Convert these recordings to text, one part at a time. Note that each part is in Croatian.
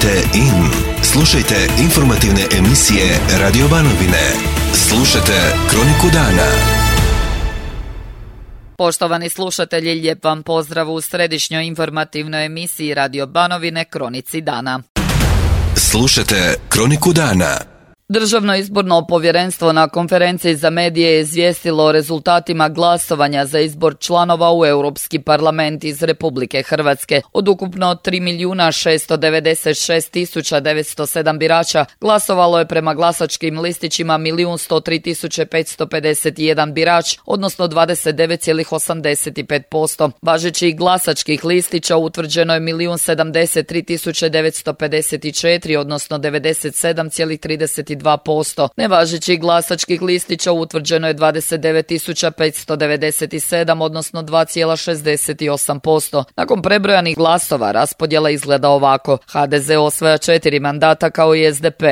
Tunite in. Slušajte informativne emisije Radio Banovine. Slušajte Kroniku dana. Poštovani slušatelji, lijep vam pozdrav u središnjoj informativnoj emisiji Radio Banovine Kronici dana. Slušajte Kroniku dana. Državno izborno povjerenstvo na konferenciji za medije je izvijestilo o rezultatima glasovanja za izbor članova u Europski parlament iz Republike Hrvatske. Od ukupno 3.696.907 birača glasovalo je prema glasačkim listićima 1.103.551 birač, odnosno 29,85%. Važećih glasačkih listića utvrđeno je 1.073.954, odnosno 97,32%. Nevažećih glasačkih listića utvrđeno je 29.597, odnosno 2,68%. Nakon prebrojanih glasova raspodjela izgleda ovako. HDZ osvaja 4 mandata kao i SDP.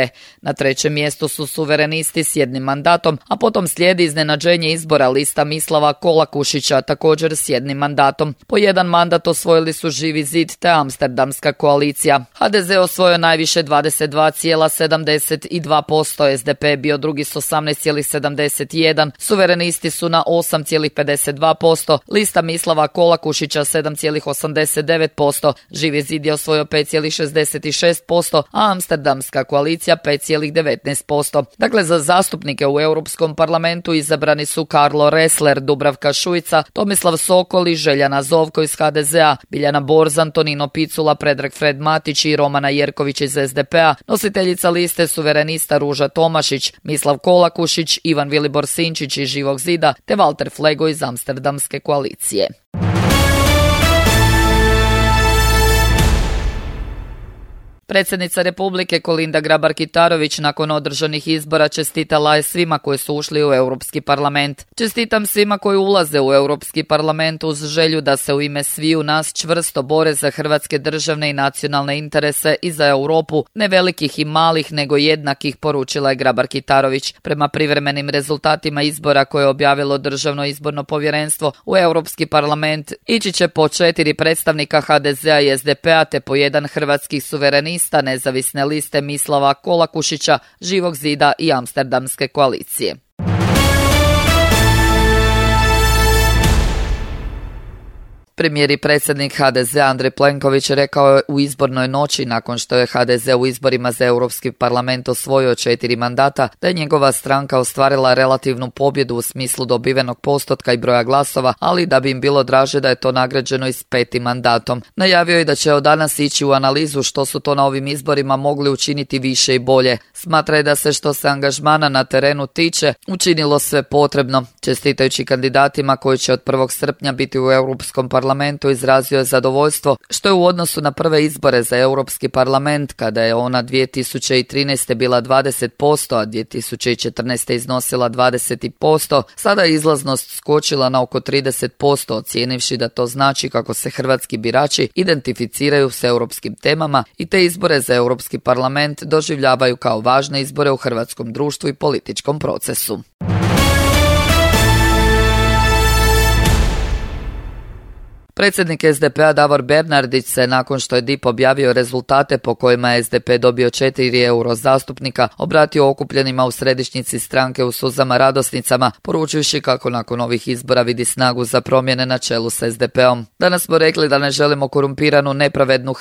Na trećem mjestu su suverenisti s 1 mandatom, a potom slijedi iznenađenje izbora lista Mislava Kolakušića, također s 1 mandatom. Po 1 mandat osvojili su Živi zid te Amsterdamska koalicija. HDZ osvojio najviše 22,72%. SDP je bio drugi s 18,71%, suverenisti su na 8,52%, lista Mislava Kolakušića 7,89%, Živi zid je osvojio 5,66%, a Amsterdamska koalicija 5,19%. Dakle, za zastupnike u Europskom parlamentu izabrani su Karlo Ressler, Dubravka Šuica, Tomislav Sokol i Željana Zovko iz HDZ-a, Biljana Borzan, Tonino Picula, Predrag Fred Matić i Romana Jerković iz SDP-a, nositeljica liste suverenista Ruža Tomašić, Mislav Kolakušić, Ivan Vilibor Sinčić iz Živog zida te Walter Flego iz Amsterdamske koalicije. Predsjednica Republike Kolinda Grabar-Kitarović nakon održanih izbora čestitala je svima koji su ušli u Europski parlament. Čestitam svima koji ulaze u Europski parlament uz želju da se u ime sviju nas čvrsto bore za hrvatske državne i nacionalne interese i za Europu, ne velikih i malih nego jednakih, poručila je Grabar-Kitarović. Prema privremenim rezultatima izbora koje je objavilo Državno izborno povjerenstvo u Europski parlament ići će po 4 predstavnika HDZ-a i SDP-a te po 1 hrvatskih suverenista nezavisne liste Mislava Kolakušića, Živog zida i Amsterdamske koalicije. Premijer i predsjednik HDZ Andrej Plenković rekao je u izbornoj noći nakon što je HDZ u izborima za Europski parlament osvojio 4 mandata da je njegova stranka ostvarila relativnu pobjedu u smislu dobivenog postotka i broja glasova, ali da bi im bilo draže da je to nagrađeno i s 5. mandatom. Najavio je da će od danas ići u analizu što su to na ovim izborima mogli učiniti više i bolje. Smatra je da se što se angažmana na terenu tiče učinilo sve potrebno. Čestitajući kandidatima koji će od 1. srpnja biti u Europskom parlamentu, izrazio je zadovoljstvo što je u odnosu na prve izbore za Europski parlament, kada je ona 2013. bila 20%, a 2014. iznosila 20%, sada je izlaznost skočila na oko 30%, ocijenivši da to znači kako se hrvatski birači identificiraju s europskim temama i te izbore za Europski parlament doživljavaju kao važne izbore u hrvatskom društvu i političkom procesu. Predsjednik SDP-a Davor Bernardić se, nakon što je DIP objavio rezultate po kojima je SDP dobio 4 euro zastupnika, obratio okupljenima u središnjici stranke u suzama radosnicama, poručujući kako nakon ovih izbora vidi snagu za promjene na čelu s SDP-om. Danas smo rekli da ne želimo korumpiranu, nepravednu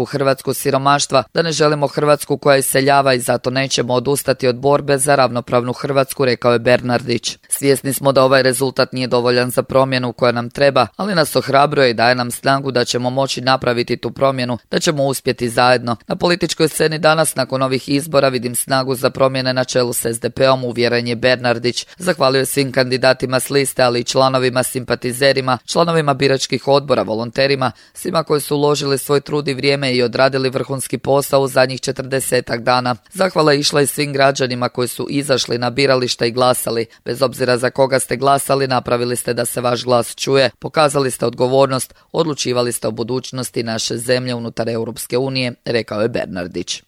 Hrvatsku siromaštva, da ne želimo Hrvatsku koja iseljava i zato nećemo odustati od borbe za ravnopravnu Hrvatsku, rekao je Bernardić. Svjesni smo da ovaj rezultat nije dovoljan za promjenu koja nam treba, ali nas ohrabruje i daje nam snagu da ćemo moći napraviti tu promjenu, da ćemo uspjeti zajedno. Na političkoj sceni danas nakon ovih izbora vidim snagu za promjene na čelu s SDP-om, uvjeren je Bernardić. Zahvalio svim kandidatima s liste, ali i članovima, simpatizerima, članovima biračkih odbora, volonterima, svima koji su uložili svoj trud i vrijeme i odradili vrhunski posao u zadnjih 40 dana. Zahvala je išla i svim građanima koji su izašli na birališta i glasali. Bez obzira za koga ste glasali, napravili ste da se vaš glas čuje, pokazali ste odgovornost, odlučivali ste o budućnosti naše zemlje unutar Europske unije, rekao je Bernardić.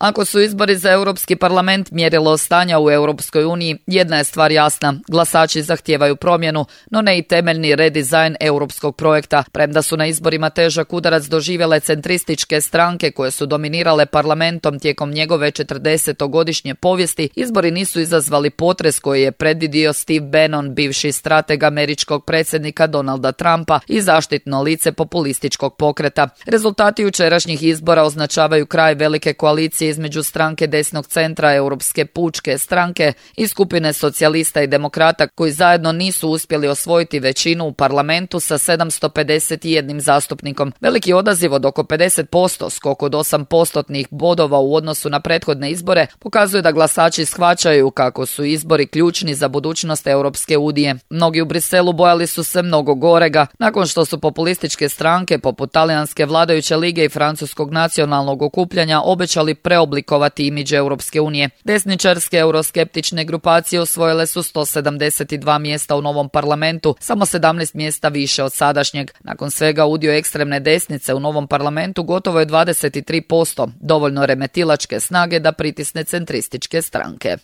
Ako su izbori za Europski parlament mjerilo stanja u Europskoj uniji, jedna je stvar jasna. Glasači zahtijevaju promjenu, no ne i temeljni redizajn europskog projekta. Premda su na izborima težak udarac doživjele centrističke stranke koje su dominirale parlamentom tijekom njegove 40-godišnje povijesti, izbori nisu izazvali potres koji je predvidio Steve Bannon, bivši strateg američkog predsjednika Donalda Trumpa i zaštitno lice populističkog pokreta. Rezultati jučerašnjih izbora označavaju kraj velike koalicije između stranke desnog centra Europske pučke stranke i skupine socijalista i demokrata koji zajedno nisu uspjeli osvojiti većinu u parlamentu sa 751 zastupnikom. Veliki odaziv od oko 50%, skok od 8% bodova u odnosu na prethodne izbore, pokazuje da glasači shvaćaju kako su izbori ključni za budućnost Europske unije. Mnogi u Briselu bojali su se mnogo gorega, nakon što su populističke stranke poput Talijanske vladajuće lige i Francuskog nacionalnog okupljanja obećali preoblikovati imidž Europske unije. Desničarske euroskeptične grupacije osvojile su 172 mjesta u novom parlamentu, samo 17 mjesta više od sadašnjeg. Nakon svega udio ekstremne desnice u novom parlamentu gotovo je 23%, dovoljno remetilačke snage da pritisne centrističke stranke.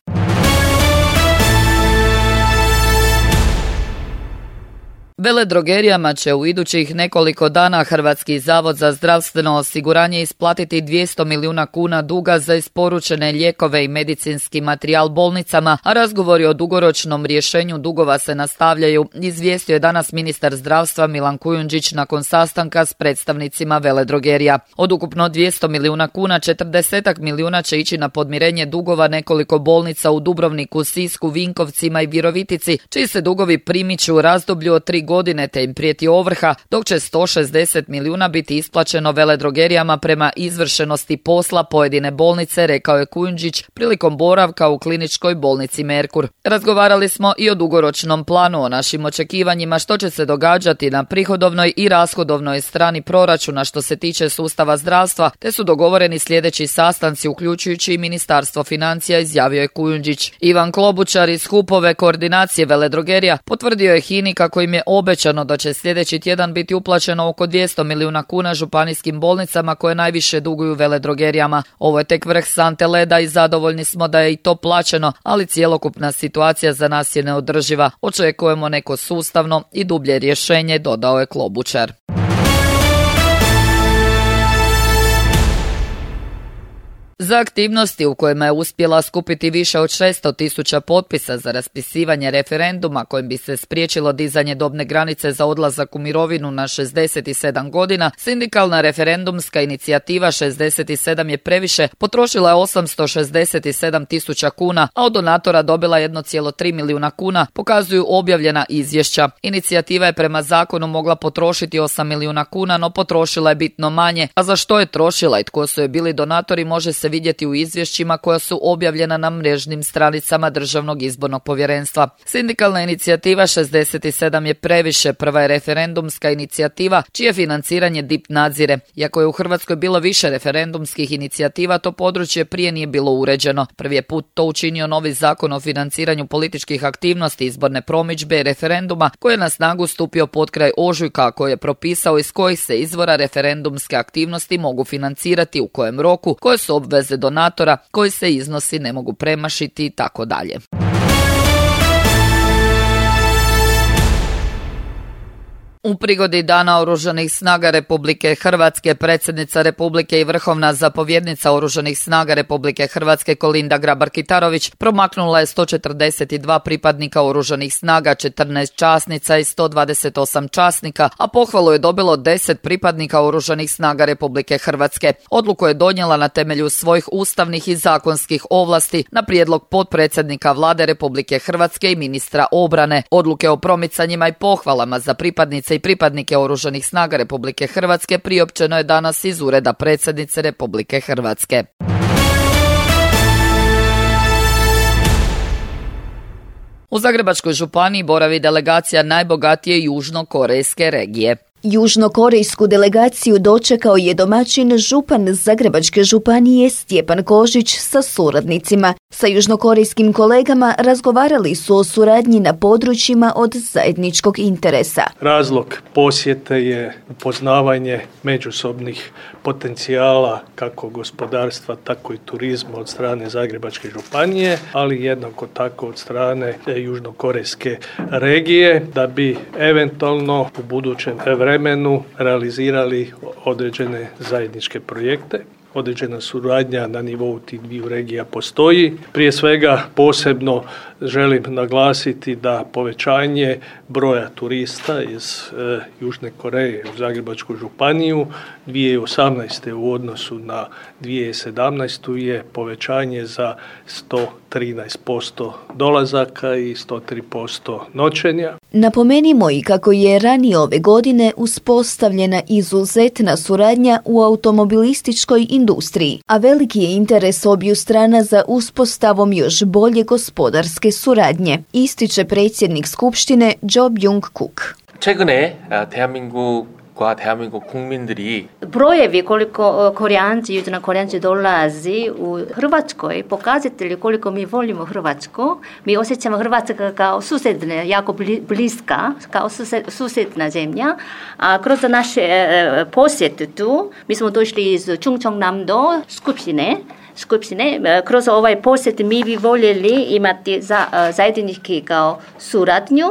Veledrogerijama će u idućih nekoliko dana Hrvatski zavod za zdravstveno osiguranje isplatiti 200 milijuna kuna duga za isporučene lijekove i medicinski materijal bolnicama, a razgovori o dugoročnom rješenju dugova se nastavljaju, izvijestio je danas ministar zdravstva Milan Kujundžić nakon sastanka s predstavnicima veledrogerija. Od ukupno 200 milijuna kuna, 40 milijuna će ići na podmirenje dugova nekoliko bolnica u Dubrovniku, Sisku, Vinkovcima i Virovitici, čiji se dugovi primiču u razdoblju od 3 godine te im prijeti ovrha, dok će 160 milijuna biti isplaćeno veledrogerijama prema izvršenosti posla pojedine bolnice, rekao je Kujundžić prilikom boravka u kliničkoj bolnici Merkur. Razgovarali smo i o dugoročnom planu, o našim očekivanjima što će se događati na prihodovnoj i rashodovnoj strani proračuna što se tiče sustava zdravstva, te su dogovoreni sljedeći sastanci uključujući i Ministarstvo financija, izjavio je Kujundžić. Ivan Klobučar iz HUP-ove koordinacije veledrogerija potvrdio je HINA-i kako im je obećano da će sljedeći tjedan biti uplaćeno oko 200 milijuna kuna županijskim bolnicama koje najviše duguju veledrogerijama. Ovo je tek vrh sante leda i zadovoljni smo da je i to plaćeno, ali cjelokupna situacija za nas je neodrživa. Očekujemo neko sustavno i dublje rješenje, dodao je Klobučar. Za aktivnosti u kojima je uspjela skupiti više od 600.000 potpisa za raspisivanje referenduma kojim bi se spriječilo dizanje dobne granice za odlazak u mirovinu na 67 godina, sindikalna referendumska inicijativa 67 je previše potrošila je 867.000 kuna, a od donatora dobila 1,3 milijuna kuna, pokazuju objavljena izvješća. Inicijativa je prema zakonu mogla potrošiti 8 milijuna kuna, no potrošila je bitno manje, a za što je trošila i tko su je bili donatori može se vidjeti u izvješćima koja su objavljena na mrežnim stranicama Državnog izbornog povjerenstva. Sindikalna inicijativa 67 je previše prva je referendumska inicijativa čije financiranje DIP nadzire. Iako je u Hrvatskoj bilo više referendumskih inicijativa, to područje prije nije bilo uređeno. Prvi je put to učinio novi zakon o financiranju političkih aktivnosti, izborne promidžbe i referenduma koji je na snagu stupio potkraj ožujka, koji je propisao iz kojih se izvora referendumske aktivnosti mogu financirati, u kojem roku, koje su obveze donatora, koji se iznosi ne mogu premašiti i tako dalje. U prigodi Dana Oružanih snaga Republike Hrvatske, predsjednica Republike i vrhovna zapovjednica Oružanih snaga Republike Hrvatske Kolinda Grabar-Kitarović promaknula je 142 pripadnika Oružanih snaga, 14 časnica i 128 časnika, a pohvalu je dobilo 10 pripadnika Oružanih snaga Republike Hrvatske. Odluku je donijela na temelju svojih ustavnih i zakonskih ovlasti na prijedlog potpredsjednika Vlade Republike Hrvatske i ministra obrane. Odluke o promicanjima i pohvalama za pripadnice i pripadnike Oružanih snaga Republike Hrvatske priopćeno je danas iz Ureda predsjednice Republike Hrvatske. U Zagrebačkoj županiji boravi delegacija najbogatije južnokorejske regije. Južnokorejsku delegaciju dočekao je domaćin župan Zagrebačke županije Stjepan Kožić sa suradnicima. Sa južnokorejskim kolegama razgovarali su o suradnji na područjima od zajedničkog interesa. Razlog posjete je upoznavanje međusobnih potencijala kako gospodarstva, tako i turizma od strane Zagrebačke županije, ali jednako tako od strane južnokorejske regije, da bi eventualno u budućem vremenu realizirali određene zajedničke projekte. Određena suradnja na nivou tih dviju regija postoji. Prije svega posebno želim naglasiti da povećanje broja turista iz Južne Koreje u Zagrebačku županiju 2018. u odnosu na 2017. je povećanje za 113% dolazaka i 103% noćenja. Napomenimo i kako je ranije ove godine uspostavljena izuzetna suradnja u automobilističkoj industriji, a veliki je interes obiju strana za uspostavom još bolje gospodarske suradnje, ističe predsjednik Skupštine Jo Byung-kuk. 최근에 대한민국과 대한민국 국민들이 brojevi koliko Korijanci, južnokorejanci dolazi u Hrvatskoj pokazatelji koliko mi volimo Hrvatsku. Mi osjećamo Hrvatska kao susjedna, jako bliska, kao susjedna zemlja. A kroz naše posjete tu, mi smo došli iz Chungcheongnam-do Skupštine. Kroz ovaj posjet mi bi voljeli imati zajednički kao suradnju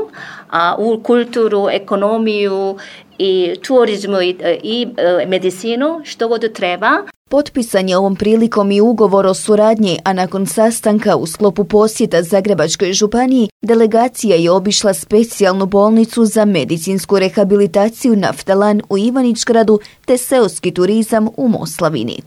u kulturu, ekonomiju i turizmu i medicinu, što god treba. Potpisan je ovom prilikom i ugovor o suradnji, a nakon sastanka u sklopu posjeta Zagrebačkoj županiji, delegacija je obišla specijalnu bolnicu za medicinsku rehabilitaciju Naftalan u Ivanić-Gradu te seoski turizam u Moslavini.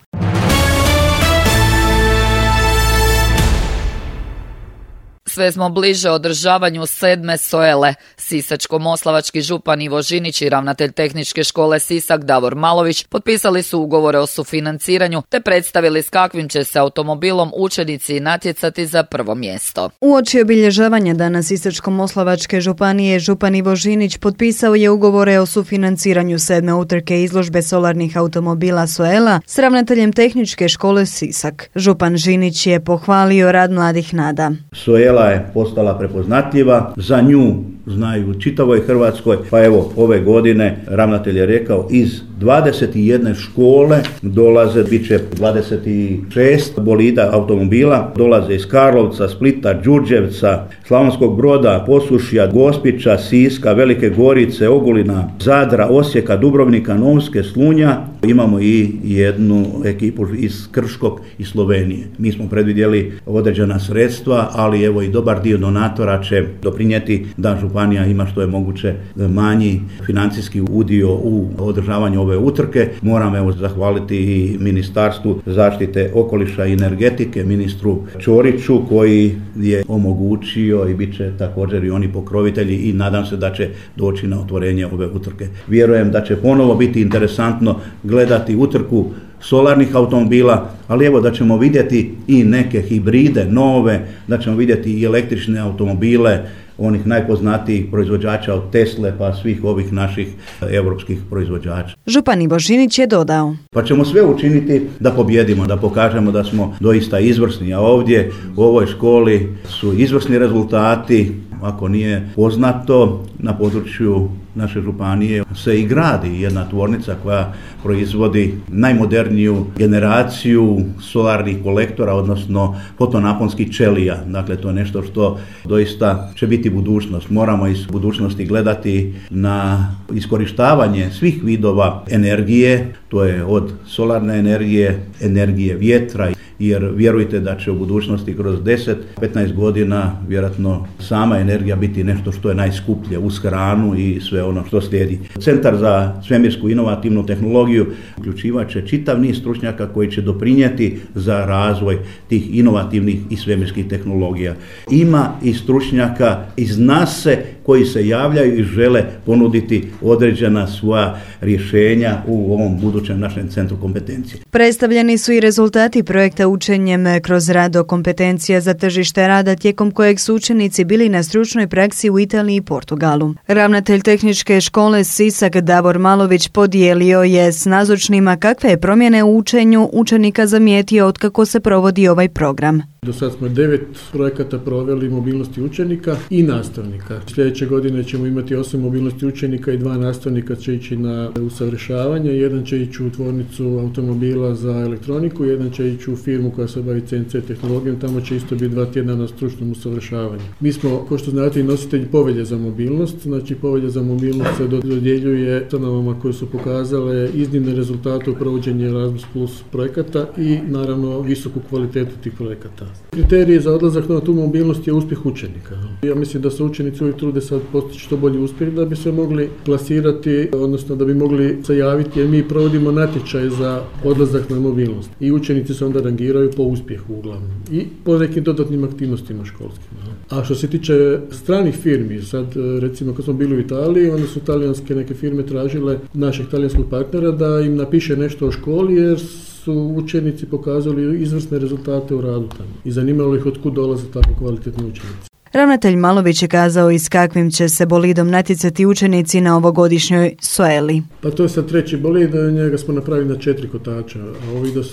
Sve smo bliže održavanju 7. SOELE. Sisačko-moslavački župan Ivo Žinić i ravnatelj Tehničke škole Sisak Davor Malović potpisali su ugovore o sufinanciranju te predstavili s kakvim će se automobilom učenici natjecati za prvo mjesto. Uoči obilježavanja dana Sisačko-moslavačke županije, župan Ivo Žinić potpisao je ugovore o sufinanciranju 7. utrke izložbe solarnih automobila SOELA s ravnateljem Tehničke škole Sisak. Župan Žinić je pohvalio rad mladih nada. SOELA je postala prepoznatljiva, za nju znaju u čitavoj Hrvatskoj, pa evo ove godine ravnatelj je rekao iz 21 škole dolaze, bit će 26 bolida automobila, dolaze iz Karlovca, Splita, Đurđevca, Slavonskog Broda, Posušja, Gospića, Siska, Velike Gorice, Ogulina, Zadra, Osijeka, Dubrovnika, Novske, Slunja. Imamo i jednu ekipu iz Krškog i Slovenije. Mi smo predvidjeli određena sredstva, ali evo i dobar dio donatora će doprinijeti da županija ima što je moguće manji financijski udio u održavanju ove utrke. Moram evo zahvaliti i Ministarstvu zaštite okoliša i energetike, ministru Ćoriću koji je omogućio i bit će također i oni pokrovitelji i nadam se da će doći na otvorenje ove utrke. Vjerujem da će ponovo biti interesantno gledati utrku solarnih automobila, ali evo da ćemo vidjeti i neke hibride nove, da ćemo vidjeti i električne automobile, onih najpoznatijih proizvođača od Tesle pa svih ovih naših europskih proizvođača. Župan Ivo Žinić je dodao: Pa ćemo sve učiniti da pobjedimo, da pokažemo da smo doista izvrsni, a ovdje u ovoj školi su izvrsni rezultati. Ako nije poznato, na području naše županije se i gradi jedna tvornica koja proizvodi najmoderniju generaciju solarnih kolektora, odnosno fotonaponskih ćelija. Dakle, to je nešto što doista će biti budućnost. Moramo iz budućnosti gledati na iskorištavanje svih vidova energije, to je od solarne energije, energije vjetra, jer vjerujte da će u budućnosti kroz 10-15 godina vjerojatno sama energija biti nešto što je najskuplje uz hranu i sve ono što slijedi. Centar za svemirsku inovativnu tehnologiju uključivat će čitav niz stručnjaka koji će doprinijeti za razvoj tih inovativnih i svemirskih tehnologija. Ima i stručnjaka iz NASA koji se javljaju i žele ponuditi određena svoja rješenja u ovom budućem našem centru kompetencije. Predstavljeni su i rezultati projekta Učenjem kroz rad o kompetencija za tržište rada, tijekom kojeg su učenici bili na stručnoj praksi u Italiji i Portugalu. Ravnatelj Tehničke škole Sisak Davor Malović podijelio je s nazočnima kakve je promjene u učenju učenika zamijetio otkako se provodi ovaj program. Do sad smo 9 projekata proveli mobilnosti učenika i nastavnika. Sljedeće godine ćemo imati 8 mobilnosti učenika i 2 nastavnika će ići na usavršavanje. Jedan će ići u tvornicu automobila za elektroniku, jedan će ići u firmu koja se bavi CNC tehnologijom, tamo će isto biti 2 tjedna na stručnom usavršavanju. Mi smo, kao što znate, i nositelji povelje za mobilnost. Znači, povelja za mobilnost se dodjeljuje ustanovama koje su pokazale iznimne rezultate u provođenju Erasmus Plus projekata i naravno visoku kvalitetu tih projekata. Kriterij za odlazak na tu mobilnost je uspjeh učenika. Ja mislim da se učenici uvijek trude sad postići što bolji uspjeh da bi se mogli klasirati, odnosno da bi mogli se javiti, jer mi provodimo natječaj za odlazak na mobilnost. I učenici se onda rangiraju po uspjehu uglavnom i po nekim dodatnim aktivnostima školskim. A što se tiče stranih firmi, sad recimo kad smo bili u Italiji, onda su talijanske neke firme tražile našeg talijanskog partnera da im napiše nešto o školi, jer su učenici pokazali izvrsne rezultate u radu tamo i zanimalo ih otkud dolaze tako kvalitetni učenici. Ravnatelj Malović je kazao i s kakvim će se bolidom natjecati učenici na ovogodišnjoj SOELI. Pa to je sad 3. bolid, njega smo napravili na 4 kotača, a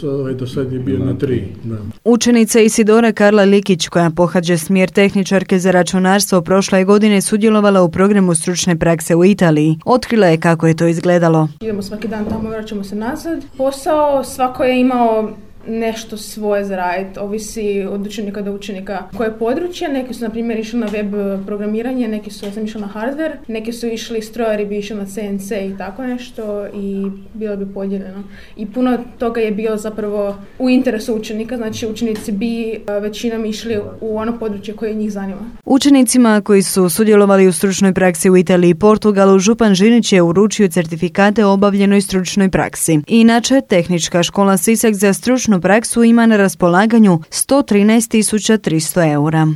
ovaj do sad je bio na 3. Da. Učenica Isidora Karla Likić, koja pohađa smjer tehničarke za računarstvo, prošle godine sudjelovala u programu stručne prakse u Italiji. Otkrila je kako je to izgledalo. Idemo svaki dan tamo, vraćamo se nazad. Posao svako je imao nešto svoje za raditi, ovisi od učenika do učenika koje područje. Neki su na primjer išli na web programiranje, neki su, ja sam išla na hardware, neki su išli, strojari bi išli na CNC i tako nešto i bilo bi podijeljeno. I puno toga je bilo zapravo u interesu učenika, znači učenici bi većinom išli u ono područje koje njih zanima. Učenicima koji su sudjelovali u stručnoj praksi u Italiji i Portugalu, župan Žinić je uručio certifikate o obavljenoj stručnoj praksi. Inače, Tehnička škola Sisak za stručnu praksu ima na raspolaganju 113.300 eura.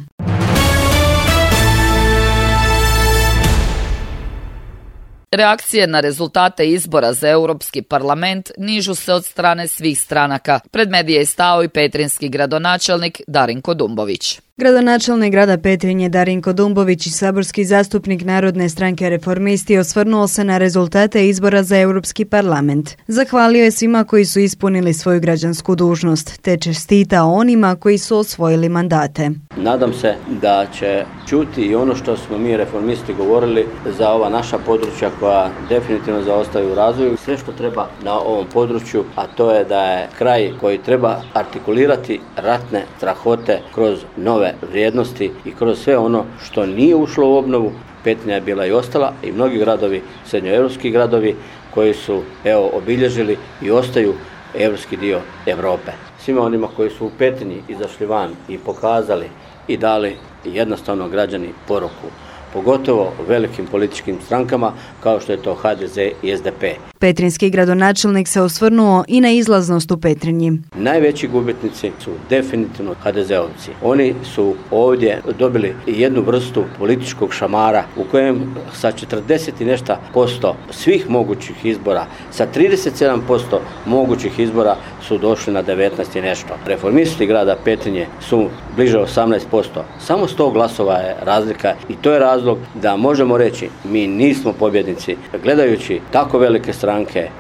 Reakcije na rezultate izbora za Europski parlament nižu se od strane svih stranaka. Pred medije je stao i petrinjski gradonačelnik Darinko Dumbović. Gradonačelnik grada Petrinje Darinko Dumbović i saborski zastupnik Narodne stranke Reformisti osvrnuo se na rezultate izbora za Europski parlament. Zahvalio je svima koji su ispunili svoju građansku dužnost, te čestitao onima koji su osvojili mandate. Nadam se da će čuti i ono što smo mi Reformisti govorili za ova naša područja koja definitivno zaostaju u razvoju. Sve što treba na ovom području, a to je da je kraj koji treba artikulirati ratne strahote kroz nove vrijednosti i kroz sve ono što nije ušlo u obnovu. Petrinja je bila i ostala i mnogi gradovi, srednjoevropski gradovi koji su obilježili i ostaju europski dio Europe. Svima onima koji su u Petrinji izašli van i pokazali i dali jednostavno građani poruku, pogotovo velikim političkim strankama kao što je to HDZ i SDP. Petrinjski gradonačelnik se osvrnuo i na izlaznost u Petrinji. Najveći gubitnici su definitivno HDZ-ovci. Oni su ovdje dobili jednu vrstu političkog šamara u kojem sa 40 i nešto posto svih mogućih izbora, sa 37% mogućih izbora su došli na 19 i nešto. Reformisti grada Petrinje su bliže 18%. Samo 100 glasova je razlika i to je razlog da možemo reći mi nismo pobjednici. Gledajući tako velike stranke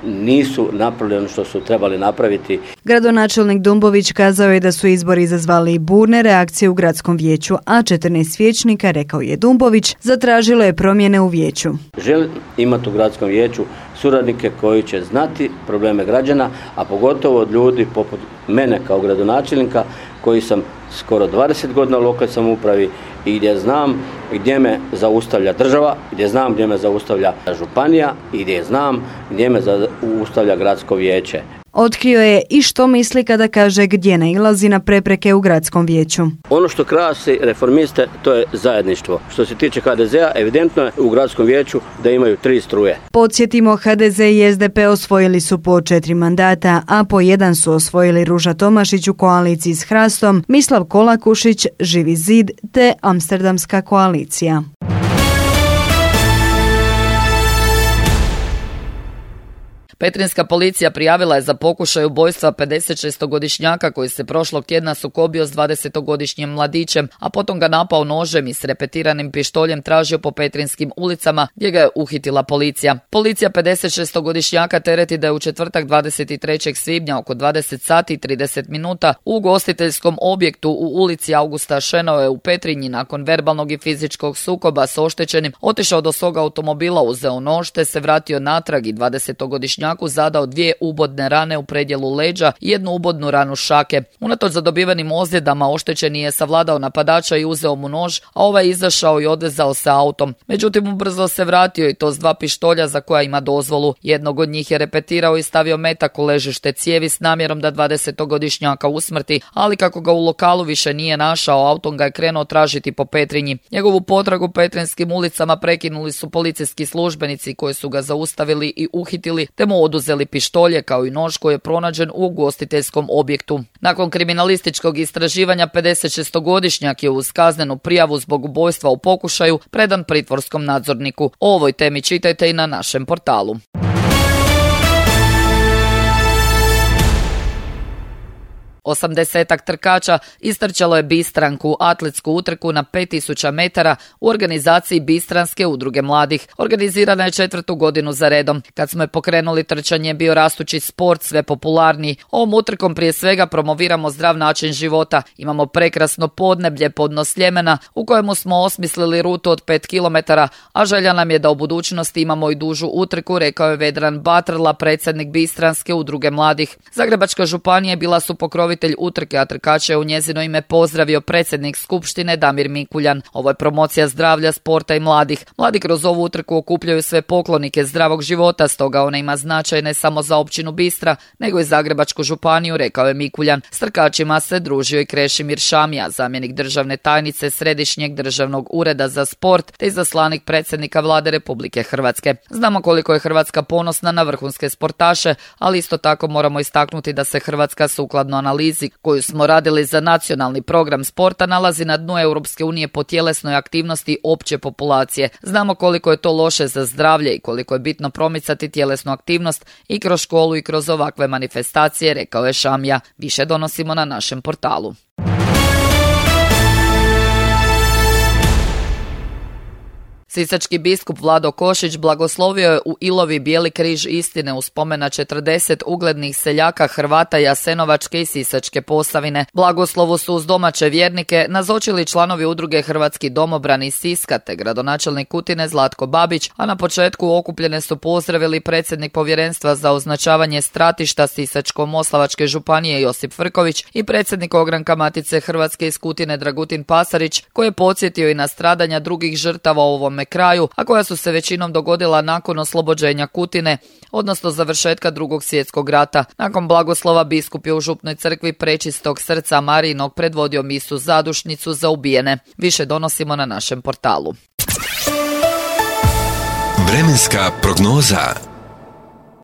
nisu napravili ono što su trebali napraviti. Gradonačelnik Dumbović kazao je da su izbori izazvali burne reakcije u gradskom vijeću, a 14 vijećnika, rekao je Dumbović, zatražilo je promjene u vijeću. Želim imati u gradskom vijeću suradnike koji će znati probleme građana, a pogotovo od ljudi poput mene kao gradonačelnika koji sam skoro 20 godina u lokalnoj samoupravi i gdje znam gdje me zaustavlja država, gdje znam gdje me zaustavlja županija i gdje znam gdje me zaustavlja gradsko vijeće. Otkrio je i što misli kada kaže gdje nailazi na prepreke u gradskom vijeću. Ono što krasi Reformiste, to je zajedništvo. Što se tiče HDZ-a, evidentno je u gradskom vijeću da imaju 3 struje. Podsjetimo, HDZ i SDP osvojili su po 4 mandata, a po 1 su osvojili Ruža Tomašić u koaliciji s Hrastom, Mislav Kolakušić, Živi zid te Amsterdamska koalicija. Petrinjska policija prijavila je za pokušaj ubojstva 56-godišnjaka koji se prošlog tjedna sukobio s 20-godišnjim mladićem, a potom ga napao nožem i s repetiranim pištoljem tražio po petrinjskim ulicama gdje ga je uhitila policija. Policija 56-godišnjaka tereti da je u četvrtak 23. svibnja oko 20 sati i 30 minuta u ugostiteljskom objektu u ulici Augusta Šenoe u Petrinji nakon verbalnog i fizičkog sukoba s oštećenim otišao do svog automobila, uzeo nož te se vratio natrag i 20-godišnjaku zadao 2 ubodne rane u predjelu leđa i 1 ubodnu ranu šake. Unatoč zadobivenim ozljedama oštećeni je savladao napadača i uzeo mu nož, a ovaj izašao i odvezao se autom. Međutim, ubrzo se vratio i to s 2 pištolja za koja ima dozvolu. Jednog od njih je repetirao i stavio metak u ležište cijevi s namjerom da 20-godišnjaka usmrti, ali kako ga u lokalu više nije našao, autom ga je krenuo tražiti po Petrinji. Njegovu potragu petrinjskim ulicama prekinuli su policijski službenici koji su ga zaustavili i uhitili te mu oduzeli pištolje kao i nož koji je pronađen u ugostiteljskom objektu. Nakon kriminalističkog istraživanja 56-godišnjak je uz kaznenu prijavu zbog ubojstva u pokušaju predan pritvorskom nadzorniku. O ovoj temi čitajte i na našem portalu. 80-ak trkača istrčalo je Bistranku, atletsku utrku na 5000 metara u organizaciji Bistranske udruge mladih. Organizirana je 4. godinu za redom. Kad smo je pokrenuli, trčanje je bio rastući sport, sve popularniji. Ovom utrkom prije svega promoviramo zdrav način života. Imamo prekrasno podneblje, podno Sljemena, u kojemu smo osmislili rutu od 5 km, a želja nam je da u budućnosti imamo i dužu utrku, rekao je Vedran Batrla, predsjednik Bistranske udruge mladih. Zagrebačka županija bila su pokrovitelj utrke, a trkače je u njezino ime pozdravio predsjednik skupštine Damir Mikuljan. Ovo je promocija zdravlja, sporta i mladih. Mladi kroz ovu utrku okupljaju sve poklonike zdravog života, stoga ona ima značaj ne samo za općinu Bistra, nego i Zagrebačku županiju, rekao je Mikuljan. S trkačima se družio i Krešimir Šamija, zamjenik državne tajnice Središnjeg državnog ureda za sport te izaslanik predsjednika Vlade Republike Hrvatske. Znamo koliko je Hrvatska ponosna na vrhunske sportaše, ali isto tako moramo istaknuti da se Hrvatska sukladno analizi koju smo radili za nacionalni program sporta nalazi na dnu Europske unije po tjelesnoj aktivnosti opće populacije. Znamo koliko je to loše za zdravlje i koliko je bitno promicati tjelesnu aktivnost i kroz školu i kroz ovakve manifestacije, rekao je Šamija. Više donosimo na našem portalu. Sisački biskup Vlado Košić blagoslovio je u Ilovi Bijeli križ istine u spomen na 40 uglednih seljaka Hrvata Jasenovačke i Sisačke Posavine. Blagoslovu su uz domaće vjernike nazočili članovi udruge Hrvatski domobrani iz Siska te gradonačelnik Kutine Zlatko Babić, a na početku okupljene su pozdravili predsjednik povjerenstva za označavanje stratišta Sisačko-moslavačke županije Josip Frković i predsjednik ogranka Matice Hrvatske iz Kutine Dragutin Pasarić, koji je podsjetio i na stradanja drugih žrtava u ovome kraju, a koja su se većinom dogodila nakon oslobođenja Kutine, odnosno završetka Drugog svjetskog rata. Nakon blagoslova biskup je u župnoj crkvi Prečistog srca Marijinog predvodio misu zadušnicu za ubijene. Više donosimo na našem portalu. Vremenska prognoza.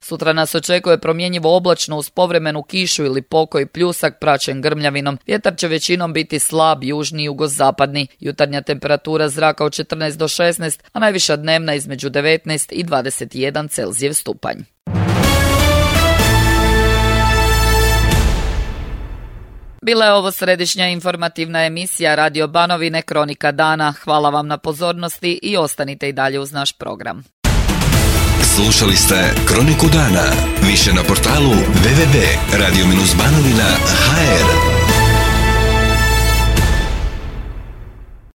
Sutra nas očekuje promjenjivo oblačno uz povremenu kišu ili pokoj pljusak praćen grmljavinom. Vjetar će većinom biti slab, južni i jugozapadni. Jutarnja temperatura zraka od 14 do 16, a najviša dnevna između 19 i 21 Celzijev stupanj. Bila je ovo središnja informativna emisija Radio Banovine Kronika dana. Hvala vam na pozornosti i ostanite i dalje uz naš program. Slušali ste Kroniku dana. Više na portalu www.radio-banovina.hr.